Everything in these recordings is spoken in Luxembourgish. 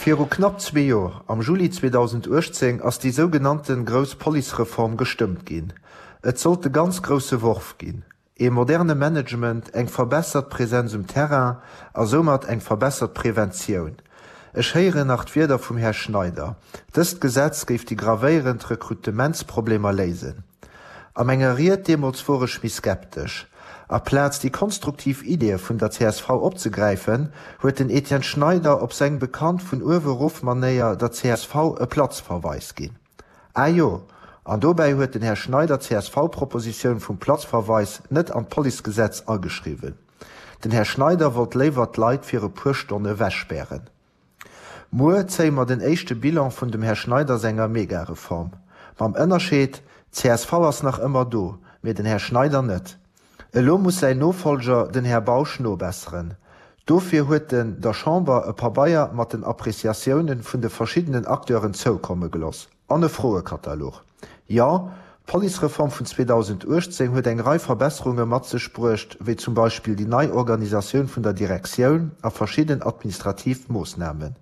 Viru knapp zwee Jor, am Juli 2018, ass déi sougenannten grouss Policereform gestëmmt ginn. Et sollt de ganz grousse Worf ginn. Ee moderne Management, eng verbessert Präsenz um Terrain a soumat eng verbessert Preventioun. Ech héieren nach d'Wierder vum Här Schneider, dëst Gesetz géif déi gravéierend Rekrutementsproblemer léisen. A menger Ried deemools wor ech méi skeptesch. Aplaz déi konstruktiv Ideeë vun der csv opzegräifen, huet den Etienne Schneider op seng bekannt vun uewe rof Manéier der csv e Platzverweis ginn. Ah jo, an dobäi huet den Här Schneider d'CSV-Propositioun vum Platzverweis net an d'Policegesetz ageschriwwen. Den Här Schneider wollt léiwer d'Leit fir e puer Stonne wegspären. Muer zéie mer den éischte Bilan vun dem Här Schneider senger Megareform. Mam Ënnerscheed, Csv ass nach ëmmer do, mee den Här Schneider net. Elo muss säin Nofolger, den Här Bausch, nobesseren. Dofir huet en der Chamber e Pabeier mat den Appreciatiounen vun de verschiddenen Acteuren zoukomme geloss. An e Froekatalog. Jo, d'Policereform vun 2018 huet eng Rei Verbesserunge mat sech bruecht, wéi zum Beispill déi nei Organisatioun vun der Direktioun a verschidden administrativ Moossnamen.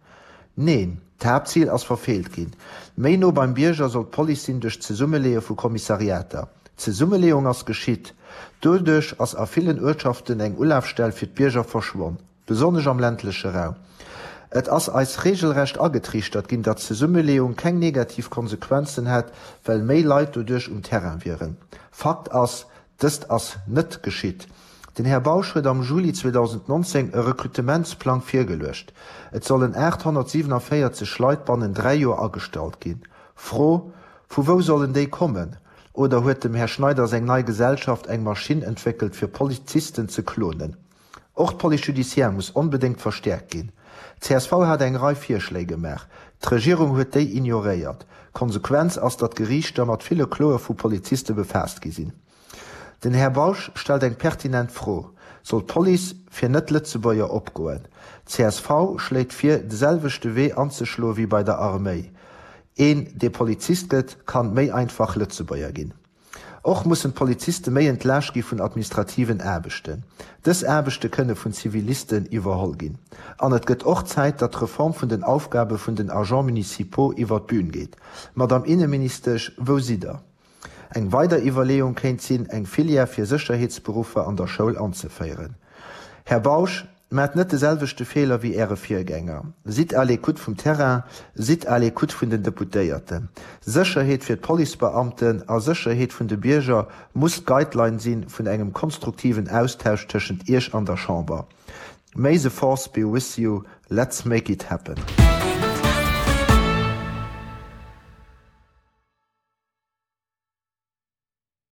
Neen, d'Haaptzil ass verfeelt ginn. Méi no beim Bierger soll d'Police sinn duerch d'Zesummeleeë vu Kommissariater. D'Zesummeleeung ass geschitt. Doduerch ass a villen Uertschaften eng Ulafstell fir d'Bierger verschwonn. Besonnesch am ländleche Raum. Et ass eis regelrecht agetriichtert ginn, datt d'Zesummeleeung keng negativ Konsequenzen hätt, well méi Leit doduerch um Terrain wieren. Fakt ass, dëst ass net geschitt. Den Här Bausch huet am Juli 2019 e Rekrutementsplang virgeluecht. Et sollen 847 Leit bannen 3 Joer agestallt ginn. Fro, Vu wou sollen déi kommen? Oder huet dem Här Schneider seng nei Gesellschaft eng Maschinn entwéckelt fir Polizisten ze klonen? Och d'Police judiciaire muss onbedéngt verstäerkt ginn. Csv hat eng Rei Virschléi gemaach. D'Regierung huet déi ignoréiert. D'Konsequenz ass, datt d'Geriichter mat ville Kloe vu Poliziste befaasst gi sinn. Den Här Bausch stellt eng pertinent Fro, Soll d'Police fir Net-Lëtzebuerger opgoen? Csv schléit vir, de selwechte Wee anzeschloe wéi bei der Arméi. Een, dee Polizist gëtt, kann méi einfach Lëtzebuerger ginn. Och mussen d'Poliziste méi entlaascht gi vun administrativen Aarbechten. Dës Aarbechte kënne vun Zivilisten iwwerholl ginn. An et gëtt och Zäit, datt d'Reform vun den Aufgabe vun den Agents municipaux iwwer d'Bühn geet. Madame Inneministesch, wou sidd Der? Eng weider Iwwerleeung kéint sinn, eng Filière fir Sécherheetsberuffer an der Schoul anzeféieren. Här Bausch, Maacht net de selwechte Feeler wéi Äre Virgänger. Sidd à l'écoute vum Terrain, sidd à l'écoute vun den Deputéierten. Sécherheet fir d'Policebeamten a Sécherheet vun de Bierger muss d'Guideline si vun engem konstruktiven Austausch tëschent Iech an der Chamber. May the force be with you, let's make it happen.